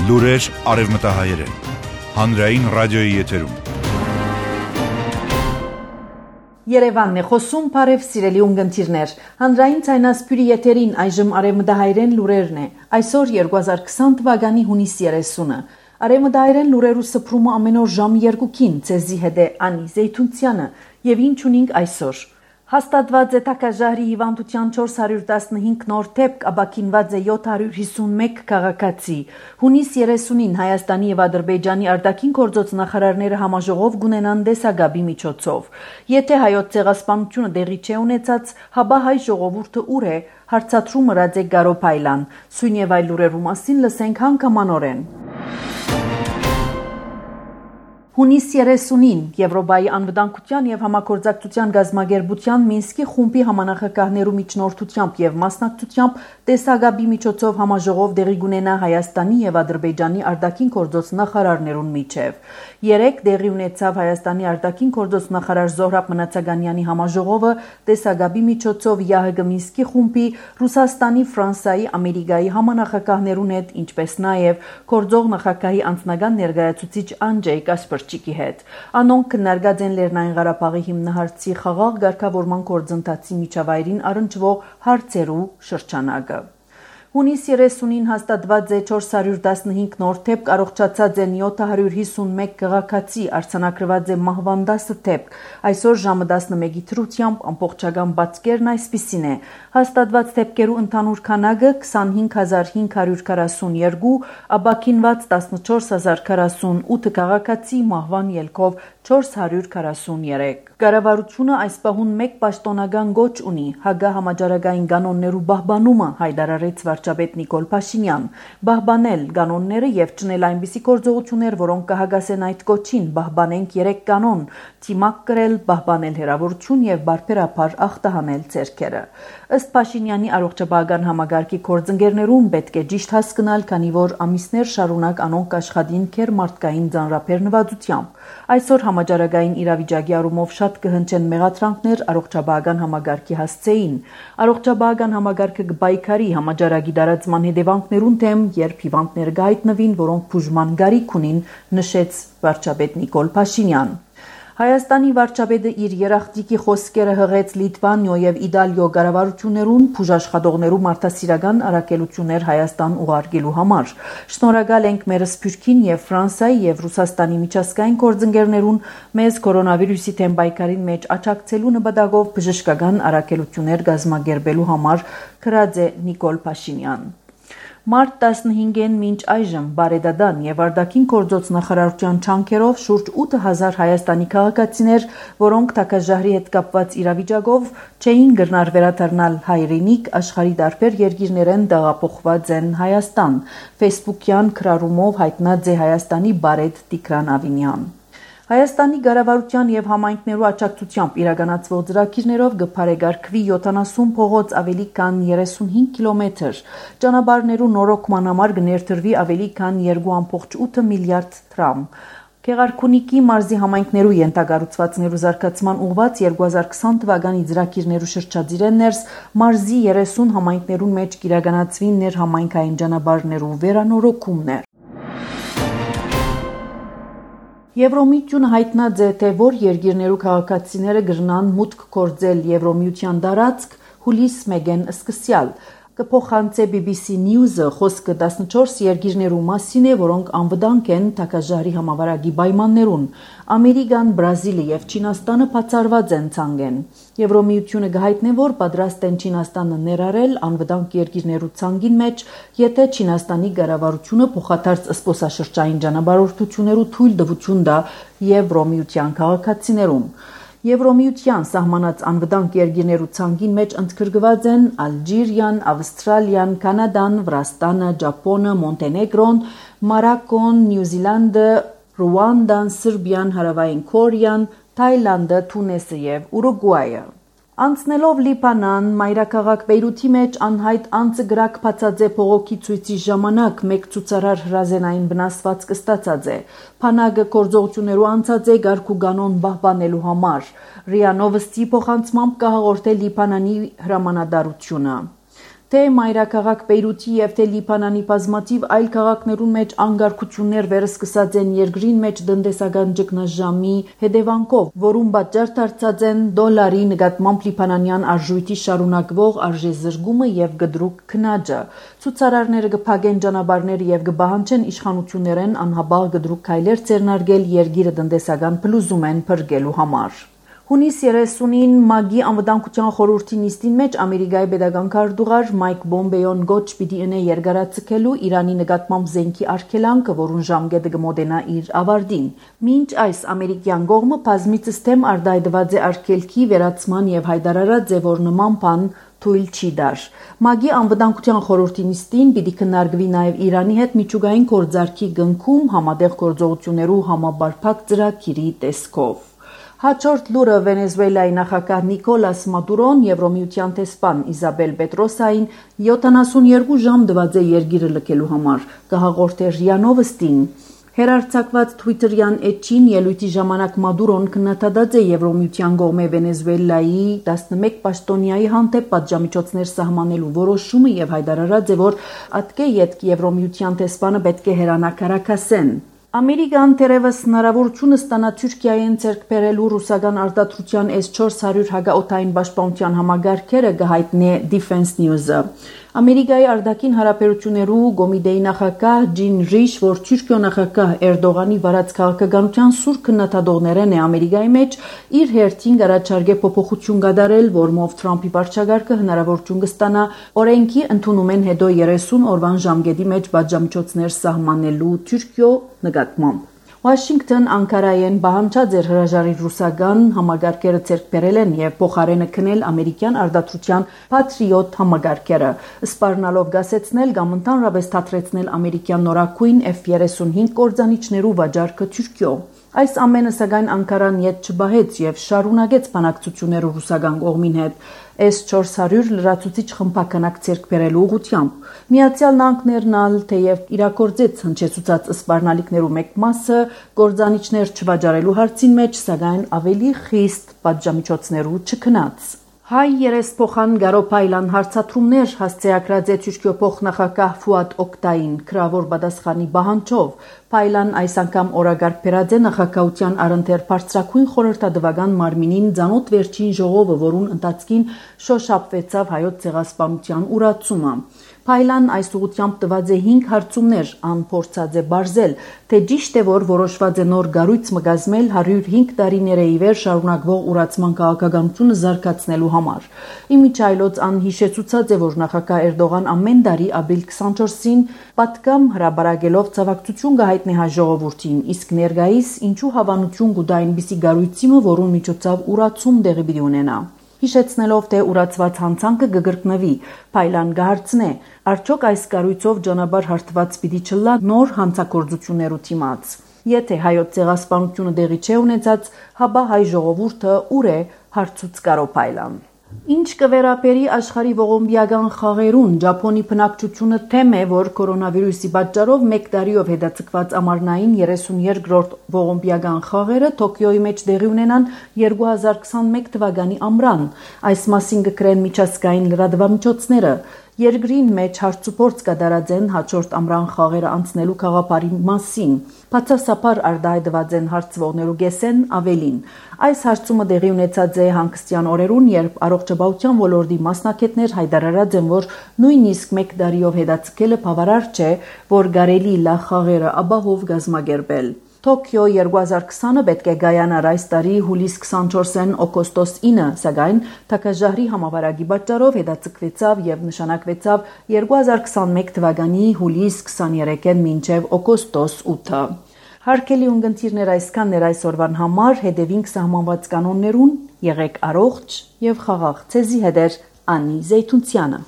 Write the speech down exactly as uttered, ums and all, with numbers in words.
Լուրեր արևմտահայերեն, հանրային ռադիոյի եթերում։ Երևանն է խոսում, բարև սիրելի ունգընտիրներ, հանրային ցայնասպյուրի եթերին այժմ արևմտահայերեն լուրերն է, այսօր երկու հազար քսան թվականի հունիս երեսունը, արևմտահայերեն լուրերու սփռումը ամեն օր ժամը երկուքին, ցեզի հետ է Անի Զեյթունցյանը, եւ ինչ ունենք այսօր։ Հաստատված է Թակաժահրի հիվանդության չորս հարյուր տասնհինգ նոր դեպք, ապաքինված է յոթ հարյուր հիսունմեկ քաղաքացի։ Հունիս երեսունին Հայաստանի եւ Ադրբեջանի արտաքին գործոց նախարարները համաժողով կունենան դեսագաբի միջոցով։ Եթե հայոց ցեղասպանությունը դեղի չի ունեցած, հաբա հայ ժողովուրդը ուր է, հարցադրում Ռաձե Գարոփայլան։ Սույն եւ այլ լուրերու մասին լսենք հանգամանորեն։ Հունիս երեսունին Եվրոպայի անվտանգության եւ համագործակցության գազագերբության Մինսկի խումբի համանախագահներու միջնորդությամբ եւ մասնակցությամբ տեսագաբի միջոցով համաժողով դեղի կունենա Հայաստանի եւ Ադրբեջանի արտաքին գործոց նախարարներուն միջև։ Երեք դեղի ունեցավ Հայաստանի արտաքին գործոց նախարար Զոհրաբ Մնացականյանի համաժողովը տեսագաբի միջոցով ԵԱՀԿ Մինսկի խումբի Ռուսաստանի, Ֆրանսիայի, Ամերիկայի համանախագահներուն հետ, ինչպես նաեւ գործող նախագահի անձնական ներկայացուցիչ Անջեյ Կասպրչիկի հետ։ Անոնք քննարկած են Լեռնային Ղարաբաղի հիմնահարցի խաղաղ ղեկավարման գործընթացի միջավայրին առնչվող հարցերու շրջանակը։ Հունիս երեսունին հաստատված է չորս հարյուր տասնհինգ նոր դեպք, առողջացած են յոթ հարյուր հիսունմեկ քաղաքացի, արձանագրված է մահվան դասը դեպք։ Այսօր ժամը տասնմեկի թրությամբ ամբողջական բացկերն այսպիսին է։ Հաստատված դեպքերու ընդհանուր քանակը քսանհինգ հազար հինգ հարյուր քառասունյոթ, ապաքինված տասնչորս հազար քառասունութ քաղաքացի, մահվան ելքով չորս հարյուր քառասունյոթ։ Կառավարությունը այս պահուն մեկ պաշտոնական գոչ ունի՝ Հագա համաճարակային կանոններու բահբանումը, հայտարարեց վարչապետ Նիկոլ Փաշինյան։ Բահբանել կանոնները եւ ճնել այնպիսի գործողություններ, որոնք կհագասեն այդ գոչին, բահբանենք երեք կանոն, թիմակ կրել, բահբանել հերավորություն եւ բարբերաբար ախտահանել ցերքերը։ Ըստ Փաշինյանի առողջապահական համագարկի գործընկերներուն պետք է ճիշտ հասկանալ, քանի որ ամիսներ շարունակ անոնք աշխատին քեր մարդկային ձանրափերնվածությամբ։ Այսօր համաճարակային իրավիճակի առումով շատ կհնչեն մեղադրանքներ առողջապահական համագարկի հասցեին։ Առողջապահական համագարկը կբայքարի համաճարակի դարածման հետևանքներուն դեմ, երբ հիվանդներ կհայտնվին, որոնք բուժման գարիք ունին, նշեց վարչապետ Նիկոլ Փաշինյան։ Հայաստանի վարչապետը իր երախտիկի խոսքերը հղեց Լիտվանիո եւ Իտալիո կառավարություններուն բուժաշխատողներու մարդասիրական առաքելություններ Հայաստան ուղարկելու համար։ Շնորհակալ ենք մեր Սփյուռքին եւ Ֆրանսիայի եւ Ռուսաստանի միջազգային գործընկերներուն մեզ կորոնավիրուսի դեմ պայքարին մեջ աջակցելու նպատակով բժշկական առաքելություններ կազմակերպելու համար, գրած է Նիկոլ Փաշինյան։ Մարտ տասնհինգին մինչ այժմ բարեդադան եւ արտաքին գործոց նախարարության չանքերով շուրջ ութ հազար Հայաստանի քաղաքացիներ, որոնք Թակաժահրի հետ կապված իրավիճակով չէին գնար վերադառնալ հայրենիք, աշխարհի տարբեր երկիրներեն տեղափոխված են Հայաստան։ Facebook-յան քրարումով հայտնած է Հայաստանի բարեդ Տիգրան Ավինյան։ Հայաստանի կառավարության եւ համայնքներու աջակցությամբ իրականացվող ծրագիրներով կփարեգարկվի յոթանասուն փողոց ավելի քան երեսունհինգ կիլոմետր, ճանապարհներու նորոգման համար կներդրվի ավելի քան երկու կόμ ութ միլիարդ դրամ։ Գեղարքունիքի մարզի համայնքներու ենթակառուցվածքներու զարգացման ուղղված երկու հազար քսան թվականի ծրագիրներու շրջադիր ներս մարզի երեսուն համայնքներուն մեջ կիրականացվի ներհամայնքային ճանապարհներու վերանորոգումներ։ Եվրոմիությունը հայտնած է, թե որ երկիրներու քաղաքացիները կգնան մուտք գործել Եվրոմիության տարածք հուլիս մեկին սկսյալ։ Կփոխանցե բի բի սի News-ը խոսքը տասնչորս երկիրներու մասին է, որոնք անվտանգ են Թակաժահրի համավարակի պայմաններուն։ Ամերիկան, Բրազիլը եւ Չինաստանը բացառված են ցանկեն։ Եվրոմիությունը կհայտնի, որ պատրաստ են Չինաստանը ներառել անվտանգ երկիրներու ցանկին մեջ, եթե Չինաստանի կառավարությունը փոխադարձ զբոսաշրջային ճանապարհորդություններու թույլ տվություն տա Եվրոմիության քաղաքացիներուն։ Եվրոմիության սահմանած անվտանգ երկիրներու ցանկին մեջ ընդգրկված են Ալժիրիան, Ավստրալիան, Կանադան, Վրաստանը, Ճապոնը, Մոնտենեգրոն, Մարոկոն, Նյուզիլանդը, Ռուանդան, Սերբիան, Հարավային Կորեան, Թայլանդը, Թունիսը եւ Ուրուգվայը։ Անցնելով Լիբանան, մայրաքաղաք Բեյրութի մեջ անհայտ անձը գրակ բացած է փողոքի ցույցի ժամանակ մեկ ցուցարար հրազենային վնասված կստացած է։ Փանագը գործողություններու անցած է գարկու կանոն բահբանելու համար։ Ռիա Նովոստի փոխանցմամբ կհաղորդել Լիբանանի հրամանատարությունը։ թե մայրաքաղաք Բեյրութի եւ թե Լիբանանի բազմաթիվ այլ քաղաքներում մեջ անգարքություններ վերսկսած են երկրին մեջ տնտեսական ճգնաժամի հետևանքով, որում պատճառ դարձած են դոլարի նկատմամբ լիբանանյան արժույթի շարունակվող արժեզրկումը եւ գդրուկ քննաջը։ Ցուցարարները կփակեն ճանապարհները եւ կբահանջեն իշխանություններեն անհաբաղ գդրուկ քայլեր ձեռնարկել երկիրը տնտեսական փլուզում են փրկելու համար։ Հունիս երեսունին ՄԱԳ-ի անվտանգության խորհրդի նիստին մեջ Ամերիկայի պետական քարտուղար Մայք Պոմպեոն գոչ պիտի ընե երկարացկելու Իրանի նկատմամբ զենքի արգելանքը, որուն ժամկետը կմոտենա իր ավարտին։ Մինչ այս ամերիկյան կողմը բազմիցս թեմ արտահայտված է արգելքի վերացման եւ հայտարարած է, որ նման բան թույլ չի դար։ ՄԱԳ-ի անվտանգության խորհրդի նիստին պիտի քննարկվի նաև Իրանի հետ միջուկային գործարքի գնքում համատեղ գործողություններու համապարփակ ծրագիրի տեսքով։ Հաջորդ լուրը Վենեսուելայի նախագահ Նիկոլաս Մադուրոն Եվրոմիության տեսփան Իզաբել Պետրոսային յոթանասունյոթ ժամ դված է երկիրը լքելու համար, կհաղորդե ՌԻԱ Նովոստին։ Հերարցակված Թվիտերյան էջին ելույթի ժամանակ Մադուրոն քննադատած է Եվրոմիության կողմէ Վենեսուելայի տասնմեկ պաշտոնյայի հանդեպ պատժամիջոցներ սահմանելու որոշումը եւ հայտարարած է, որ ատկե ետք Եվրոմիության տեսփանը պետք է հերանա քարակասեն։ Ամերիկան թերևս հնարավորություն ստանա Թուրքիային ձեռք բերելու ռուսական արտադրության էս չորս հարյուր հակաօդային պաշտպանության համագարքերը կհայտնի Defense News-ը։ Ամերիկայի արտաքին հարաբերություններու կոմիտեի նախագահ Ջին Ռիշ, որ Թուրքիո նախագահ Էրդողանի վարած քաղաքականության սուր քննադատողներն է Ամերիկայի մեջ, իր հերթին առաջարկե փոփոխություն կատարել, որմով Թրամփի վարչագարկը հնարավորություն կստանա օրենքի ընդունումեն հետո երեսուն օրվան ժամկետի մեջ պատժամիջոցներ սահմանելու Թուրքիո նկատմամբ։ Վաշինգտոն Անկարայեն բանջած էր հրաժարի ռուսական համագարկերը ձեռք բերել են եւ փոխարենը քնել ամերիկյան արտադրության Patriot համագարկերը, սպառնալով գասեցնել կամ ընդհանրապես թատրեցնել ամերիկյան նորակույն F thirty-five կորձանիչներու վաճառքը Թուրքիո։ Այս ամենը սակայն Անկարան ետ չբահեց եւ շարունակեց բանակցությունները ռուսական կողմին հետ S four hundred լրացուցիչ խմբականակ ձեռք բերելու ուղղությամբ։ Միացյալ Նահանգներն ալ թեև իրակորձեց հնչեցուցած սպառնալիքներու մեկ մասը գործանիչներ չվաճառելու հարցին մեջ, սակայն ավելի խիստ պատժամիջոցներու չքնած։ Հայ երեսփոխան Գարոփայլան հարցատրումներ հասցեակրած է Թուրքիո փոխնախագահ Ֆուադ Օկտային քրավոր պատասխանի բանջով։ Փայլան այս անգամ օրագարկ բերած է նախագահության առընթեր բարձրակույն խորհրդատվական մարմինին ցանոթ վերջին ժողովը, որուն ընթացքին շոշափվեցավ հայոց ցեղասպանության ուրացումը։ Փայլան այս ուղղությամբ տված է հինգ հարցումներ, անփորձած է բարձել, թե ճիշտ է, որ որոշված է նոր գառույց մգազմել one hundred five տարիների ի վեր շարունակվող ուրացման քաղաքականությունը զարգացնելու համար։ Իմիջայլոց անհիշեցուցած է, որ նախագահ Էրդողան ամեն տարի ապրիլ twenty-fourth-ին պատգամ հրաբարակելով ցավակցություն կհայտնի հայ ժողովրդին, իսկ ներկայիս ինչու հավանություն կուտա այնպիսի գառույցի, որուն միջոցով ուրացում տեղի պիտի ունենա։ Հիշեցնելով, թե ուրացված հանցանքը կգրկնվի, Փայլան կհարցնե, արդյոք այս կառույցով ճանապարհ հարթված պիտի չլա նոր հանցագործություններու դիմաց։ Եթե հայոց ցեղասպանությունը տեղի չէ ունեցած, հաբա հայ ժողովուրդը ուր է, հարցուց Գարոփայլան։ Ինչ կվերապերի աշխարհի ողոմբիական խաղերուն, Ճապոնի բնակչությունը թեմ է, որ կորոնավիրուսի պատճառով մեկ տարիով հետաձգված ամառնային thirty-second ողոմբիական խաղերը Տոկիոյի մեջ տեղի ունենան twenty twenty-one թվականի ամռան։ Այս մասին կգրեն միջազգային լրատվամիջոցները։ Երկրին մեջ հարցուփորձ կատարած են հաջորդ ամռան խաղերը անցնելու գաղափարի մասին։ Բացասաբար արտահայտված են հարցվողներու գեսեն ավելին։ Այս հարցումը տեղի ունեցած է հանգստյան օրերուն, երբ առողջապահության ոլորտի մասնակիցներ հայտարարած են, որ նույնիսկ մեկ տարիով հետաձգելը բավարար չէ, որ կարելի լա խաղերը ապահով կազմակերպել։ Տոկիո twenty twenty պետք է գայանար այս տարի հուլիս twenty-fourth-ին օգոստոս nine, սակայն թակաժահրի համավարակի պատճառով հետաձգվեցավ եւ նշանակվեցավ twenty twenty-one թվականի հուլիս twenty-third-ին մինչեւ օգոստոս eight։ Հարկելի ունգընտիրներ այսքան ներ այսօրվան համար, հետևինք սահմանված կանոններուն, եղեք առողջ եւ խաղաղ։ Ցեզի հետ է Անի Զեյթունցյանը։